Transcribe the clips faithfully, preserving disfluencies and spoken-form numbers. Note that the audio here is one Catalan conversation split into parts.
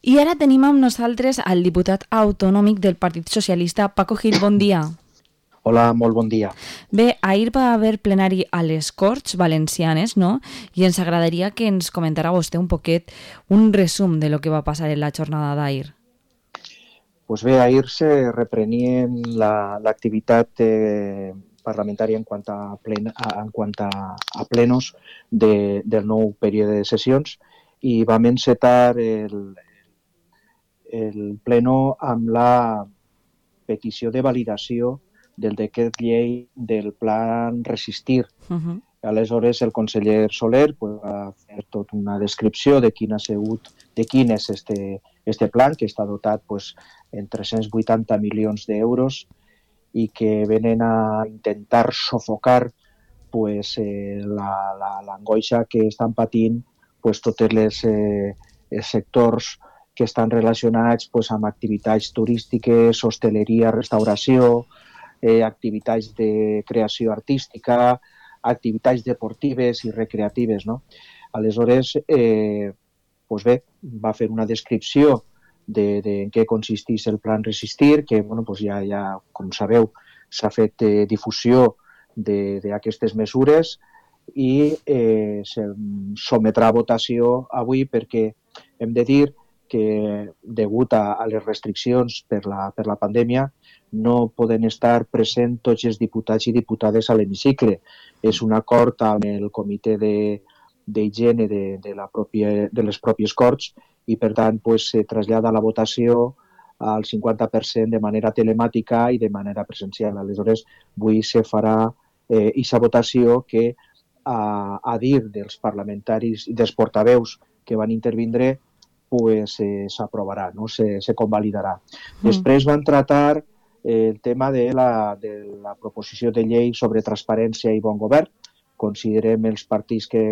I ara tenim amb nosaltres el diputat autonòmic del Partit Socialista, Paco Gil. Bon dia. Hola, molt bon dia. Bé, ahir va haver plenari a les Corts Valencianes, no? I ens agradaria que ens comentara vostè un poquet un resum de lo que va passar en la jornada d'ahir. Pues bé, ahir se reprenien la, l'activitat eh, parlamentària en quant a, plen, a, en quant a, a plenos de, del nou període de sessions i vam encetar el, el pleno amb la petició de validació del decret llei del plan Resistir. Uh-huh. Aleshores, el conseller Soler pues, va fer tota una descripció de quin ha sigut, de quin és este, este plan, que està dotat pues, en tres-cents vuitanta milions d'euros i que venen a intentar sofocar pues, eh, la, la, l'angoixa que estan patint pues, tots les, eh, els sectors que estan relacionats pues, amb activitats turístiques, hosteleria, restauració, eh, activitats de creació artística, activitats deportives i recreatives. No? Aleshores, eh, pues bé, va fer una descripció de, de en què consisteix el plan Resistir, que bueno, pues ja, ja, com sabeu, s'ha fet eh, difusió d'aquestes mesures i eh, se sometrà a votació avui perquè hem de dir que, degut a, a les restriccions per la, per la pandèmia, no poden estar presents tots els diputats i diputades a l'hemicicle. És un acord amb el comitè de, d'higiene de, de, la pròpia, de les pròpies Corts i, per tant, pues, se trasllada la votació al cinquanta per cent de manera telemàtica i de manera presencial. Aleshores, avui se farà eh, aquesta votació que, a, a dir dels parlamentaris i dels portaveus que van intervindre, pues, eh, s'aprovarà, no? se, se convalidarà. Mm. Després van tratar eh, el tema de la, de la proposició de llei sobre transparència i bon govern. Considerem els partits que,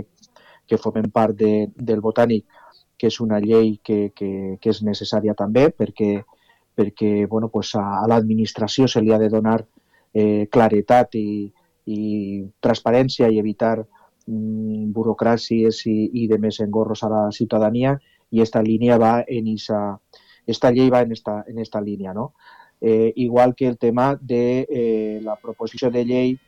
que formen part de, del Botànic que és una llei que, que, que és necessària també perquè, perquè bueno, pues a, a l'administració se li ha de donar eh, claretat i, i transparència i evitar mm, burocràcies i, i de més engorros a la ciutadania, i esta línia va en esa, esta llei va en esta, en esta línia, ¿no? Eh, igual que el tema de eh, la proposició de llei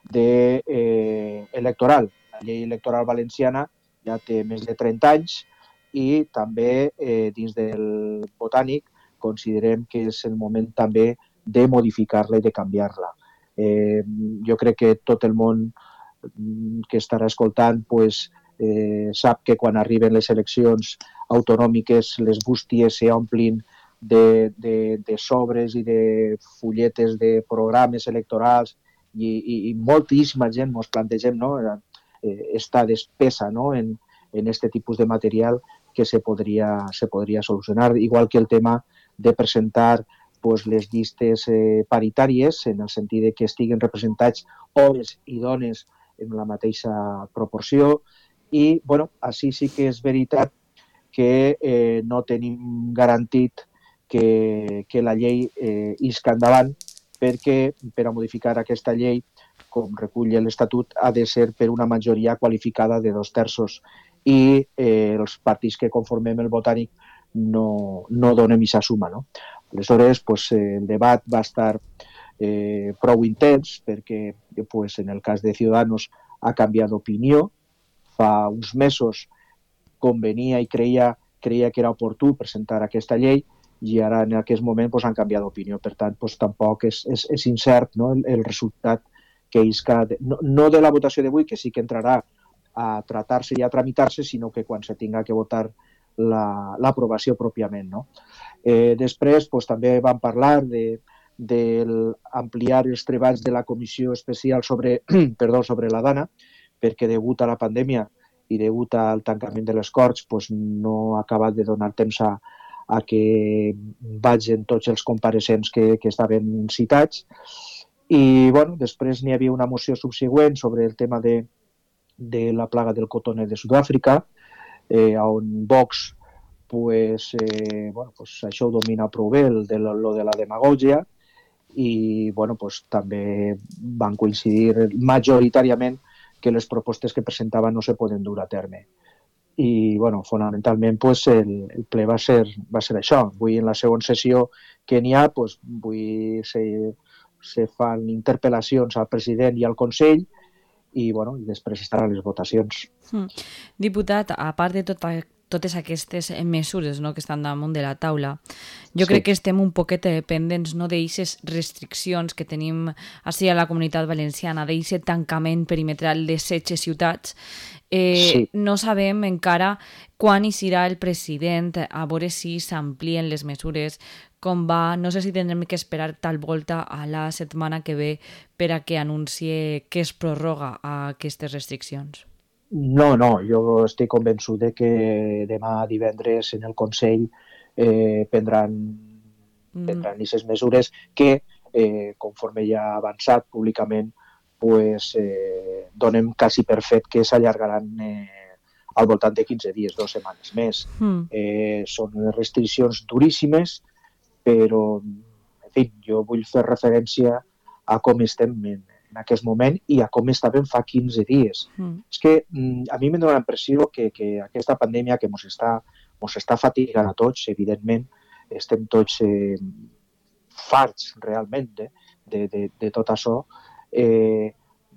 de, eh, electoral. La llei electoral valenciana ja té més de trenta anys i també eh, dins del Botànic considerem que és el moment també de modificar-la i de canviar-la. Eh, jo crec que tot el món que estarà escoltant pues, eh, sap que quan arriben les eleccions autonòmiques les bústies s'omplin de, de, de sobres i de fulletes de programes electorals i, i, i moltíssima gent ens plantegem, no? eh, esta despesa, no? en, en este tipus de material que se podria, se podria solucionar, igual que el tema de presentar pues, les llistes eh, paritàries, en el sentit de que estiguen representats homes i dones en la mateixa proporció, i bueno, així sí que és veritat que eh, no tenim garantit que, que la llei eh, isca endavant, perquè per a modificar aquesta llei, com recull l'Estatut, ha de ser per una majoria qualificada de dos terços i eh, els partits que conformem el Botànic no, no donem aquesta suma. No? Aleshores, pues, eh, el debat va estar eh, prou intens perquè pues, en el cas de Ciudadanos ha canviat d'opinió. Fa uns mesos convenia i creia, creia que era oportú presentar aquesta llei i ara en aquest moment pues, han canviat d'opinió. Per tant, pues, tampoc és, és, és incert, no? el, el resultat que isca, de, no, no de la votació d'avui, que sí que entrarà a tratar-se i a tramitar-se, sinó que quan se tinga que votar la, l'aprovació pròpiament. No? Eh, després pues, també vam parlar de, d'ampliar els treballs de la Comissió Especial sobre, perdó, sobre la Dana, perquè degut a la pandèmia i degut al tancament de les Corts pues, no ha acabat de donar temps a, a que vagin tots els compareixents que, que estaven citats. I bueno, després n'hi havia una moció subsegüent sobre el tema de, de la plaga del cotoner de Sud-àfrica, eh, on Vox pues, eh, bueno, pues, això ho domina prou bé, el de lo de la demagògia, i bueno, pues, també van coincidir majoritàriament que les propostes que presentaven no se poden dur a terme. i bueno, fonamentalment pues, el, el ple va ser, va ser això. Avui en la segona sessió que n'hi ha pues, avui se, se fan interpel·lacions al president i al Consell i, bueno, i després estaran les votacions. Mm. Diputat, a part de tot, totes aquestes mesures, no, que estan damunt de la taula, jo sí. crec que estem un poquet pendents, no, d'eixes restriccions que tenim així a la Comunitat Valenciana, d'eixe tancament perimetral de setze ciutats. Eh, sí. No sabem encara quan hi serà el president, a veure si s'amplien les mesures, com va, no sé si tindrem que esperar tal volta a la setmana que ve per a que anuncie que es prorroga a aquestes restriccions. No, no, jo estic convençut de que demà divendres en el Consell eh, prendran prendran aquestes mesures que, eh, conforme ja ha avançat públicament, pues, eh, donem quasi per fet que s'allargaran eh, al voltant de quinze dies, dues setmanes més. Mm. Eh, són restriccions duríssimes, però, en fi, jo vull fer referència a com estem en, en aquest moment i a com estàvem fa quinze dies. Mm. És que a mi m'ha donat la impressió que, que aquesta pandèmia que ens està, ens està fatigant a tots, evidentment, estem tots eh, farts realment de, de, de, de tot això, eh,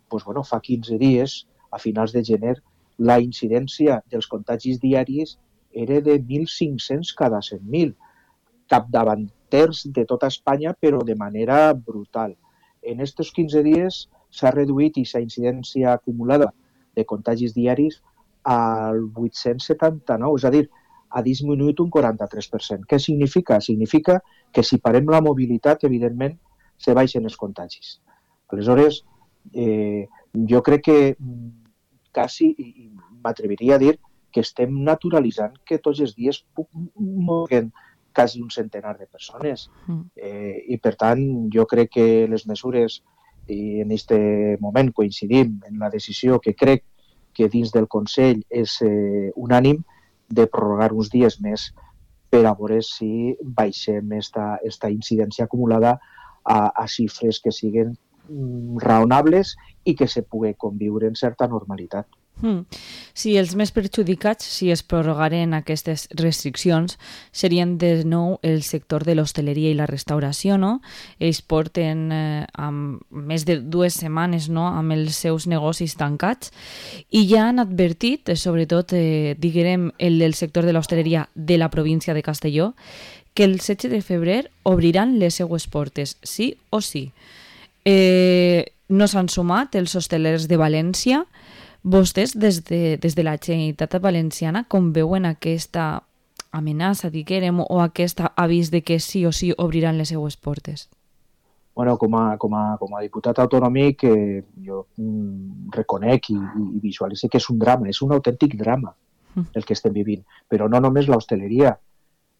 pues, bueno, fa quinze dies, a finals de gener, la incidència dels contagis diaris era de mil cinc-cents cada cent mil, capdavanters de tota Espanya, però de manera brutal. En aquests quinze dies s'ha reduït aquesta incidència acumulada de contagis diaris al vuit-cents setanta-nou, és a dir, ha disminuït un quaranta-tres per cent. Què significa? Significa que si parem la mobilitat, evidentment, se baixen els contagis. Aleshores, eh, jo crec que quasi, i m'atreviria a dir, que estem naturalitzant que tots els dies moguen quasi un centenar de persones. Eh, I, per tant, jo crec que les mesures, i en aquest moment coincidim en la decisió que crec que dins del Consell és eh, unànim, de prorrogar uns dies més per a veure si baixem esta, esta incidència acumulada a, a xifres que siguin mm, raonables i que se pugui conviure en certa normalitat. Mm. Sí, els més perjudicats, si es prorrogaren aquestes restriccions, serien de nou el sector de l'hostaleria i la restauració, no? Ells porten eh, amb més de dues setmanes, no?, amb els seus negocis tancats i ja han advertit, sobretot, eh, diguem, el del sector de l'hostaleria de la província de Castelló, que el setze de febrer obriran les seues portes, sí o sí. Eh, no s'han sumat els hostelers de València. Vostès, des de, des de la Generalitat Valenciana, com veuen aquesta amenaça, diguem, o aquest avís de que sí o sí obriran les seues portes? Bueno, com a, com a, com a diputat autonòmic, eh, jo mm, reconec i, i visualitzo que és un drama, és un autèntic drama el que estem vivint. Però no només l'hostaleria,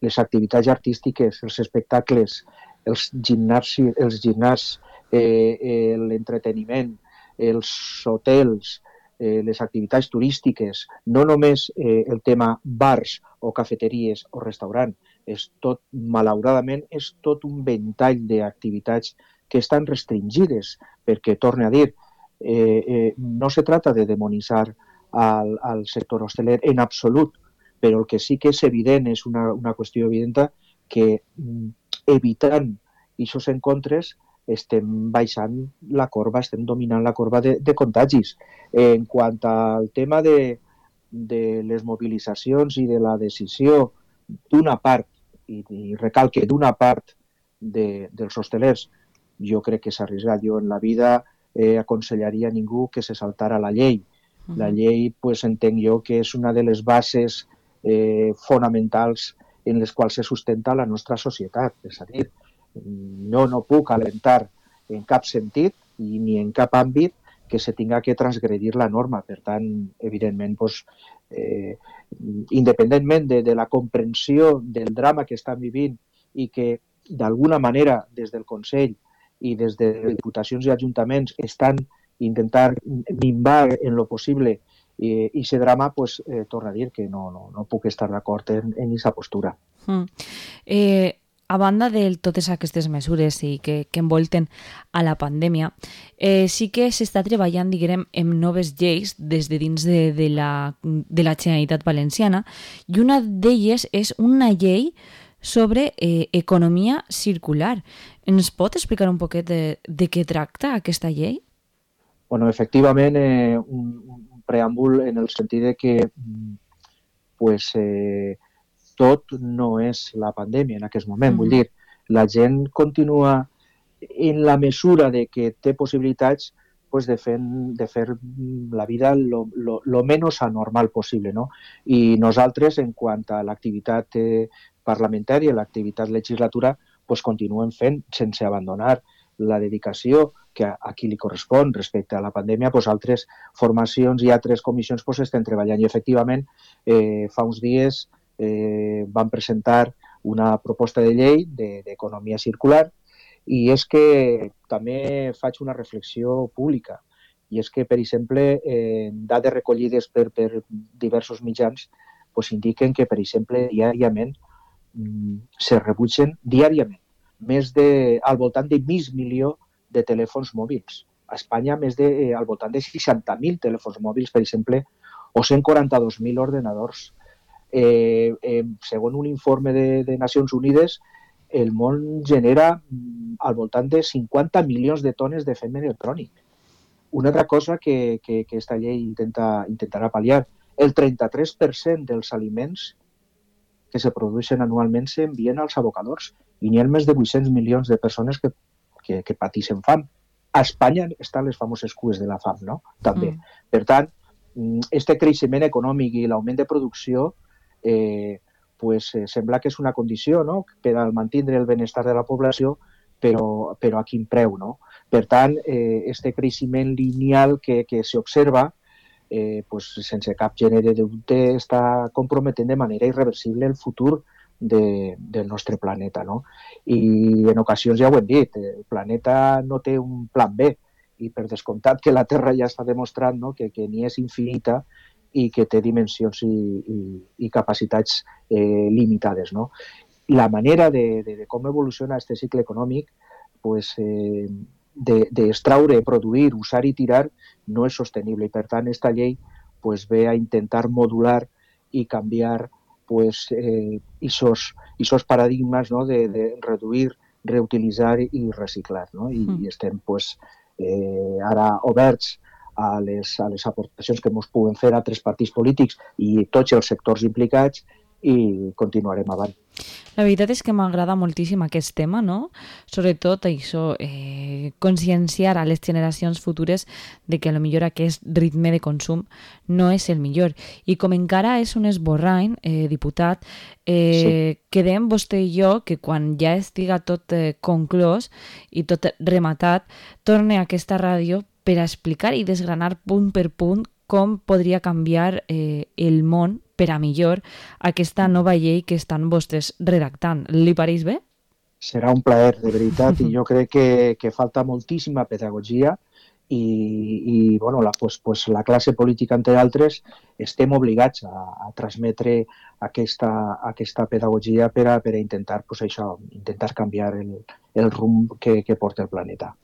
les activitats artístiques, els espectacles, els gimnasis, els gimnàs, eh, eh, l'entreteniment, els hotels, Eh, les activitats turístiques, no només eh, el tema bars o cafeteries o restaurant, és tot, malauradament, és tot un ventall d'activitats que estan restringides, perquè, torne a dir, eh, eh, no se trata de demonitzar al, al sector hosteler en absolut, però el que sí que és evident, és una, una qüestió evident, que mm, evitant aquests encontres estem baixant la corba, estem dominant la corba de, de contagis. En quant al tema de, de les mobilitzacions i de la decisió d'una part, i, i recalque d'una part de, dels hostelers, jo crec que s'ha arriesgat. Jo en la vida eh, aconsellaria a ningú que se saltara la llei. La llei, pues, entenc jo que és una de les bases eh, fonamentals en les quals se sustenta la nostra societat. És a dir, jo no puc alentar en cap sentit i ni en cap àmbit que se tinga que transgredir la norma. Per tant, evidentment, pues, eh, independentment de, de la comprensió del drama que estan vivint i que d'alguna manera des del Consell i des de diputacions i ajuntaments estan intentant minvar en lo possible i aquest drama, pues, eh, torna a dir que no, no, no puc estar d'acord en aquesta postura. Mm. Eh... a banda de totes aquestes mesures i que, que envolten a la pandèmia, eh, sí que s'està treballant, diguem, en noves lleis des de dins de, de, la, de la Generalitat Valenciana, i una d'elles és una llei sobre eh, economia circular. Ens pot explicar un poquet de, de què tracta aquesta llei? Bueno, efectivament, eh, un, un preàmbul en el sentit de que pues, eh, tot no és la pandèmia en aquest moment. Mm-hmm. Vull dir, la gent continua en la mesura de que té possibilitats pues, de, fer, de fer la vida lo, lo, lo menos anormal possible, no? I nosaltres, en quant a l'activitat eh, parlamentària, l'activitat legislatura, pues, continuem fent sense abandonar la dedicació que a, a qui li correspon respecte a la pandèmia, pues, altres formacions i altres comissions pues, estan treballant. I efectivament, eh, fa uns dies eh, van presentar una proposta de llei d'economia circular, i és que també faig una reflexió pública, i és que, per exemple, eh, dades recollides per, per diversos mitjans pues, indiquen que, per exemple, diàriament mm, se rebutgen diàriament més de, al voltant de mig milió de telèfons mòbils. A Espanya, més de, eh, al voltant de seixanta mil telèfons mòbils, per exemple, o cent quaranta-dos mil ordenadors. Eh, eh, segons un informe de, de Nacions Unides, el món genera mm, al voltant de cinquanta milions de tones de fem electrònic. Una altra cosa que, que, que esta llei intenta, intentarà pal·liar, el trenta-tres per cent dels aliments que se produeixen anualment s'envien als abocadors, i n'hi ha més de vuit-cents milions de persones que, que, que pateixen fam. A Espanya estan les famoses cues de la fam, no? També. Mm. Per tant, este creixement econòmic i l'augment de producció eh, pues, eh, sembla que és una condició, no?, per al mantenir el benestar de la població, però, però a quin preu, no? Per tant, eh, este creixement lineal que, que s'observa eh, pues, sense cap gènere de dubte està comprometent de manera irreversible el futur de, del nostre planeta, no? I en ocasions ja ho hem dit, el planeta no té un plan B, i per descomptat que la Terra ja està demostrant, no?, que, que ni és infinita i que té dimensions i, i, i capacitats eh, limitades, no? La manera de, de, de com evoluciona aquest cicle econòmic pues, eh, d'extraure, de, produir, usar i tirar no és sostenible, i per tant esta llei pues, ve a intentar modular i canviar pues, eh, esos, esos paradigmes, no?, de, de reduir, reutilitzar i reciclar, no? I, mm. i estem pues, eh, ara oberts a les, a les aportacions que ens puguen fer altres partits polítics i tots els sectors implicats, i continuarem avant. La veritat és que m'agrada moltíssim aquest tema, no? Sobretot això, eh, conscienciar a les generacions futures de que potser aquest ritme de consum no és el millor. I com encara és un esborrany, eh, diputat, eh, sí. quedem vostè i jo que quan ja estiga tot eh, conclòs i tot rematat, torne a aquesta ràdio per a explicar i desgranar punt per punt com podria canviar eh, el món per a millor aquesta nova llei que estan vostès redactant. Li pareix bé? Serà un plaer, de veritat, i jo crec que, que falta moltíssima pedagogia i, i bueno, la, pues, pues, la classe política, entre altres, estem obligats a, a transmetre aquesta, aquesta pedagogia per a, per a intentar, pues, això, intentar canviar el, el rumb que, que porta el planeta.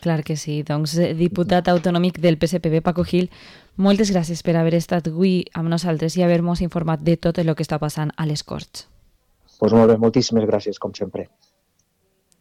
Clar que sí. Doncs, diputat autonòmic del P S P B, Paco Gil, moltes gràcies per haver estat avui amb nosaltres i haver-nos informat de tot el que està passant a les Corts. Pues molt bé, moltíssimes gràcies, com sempre.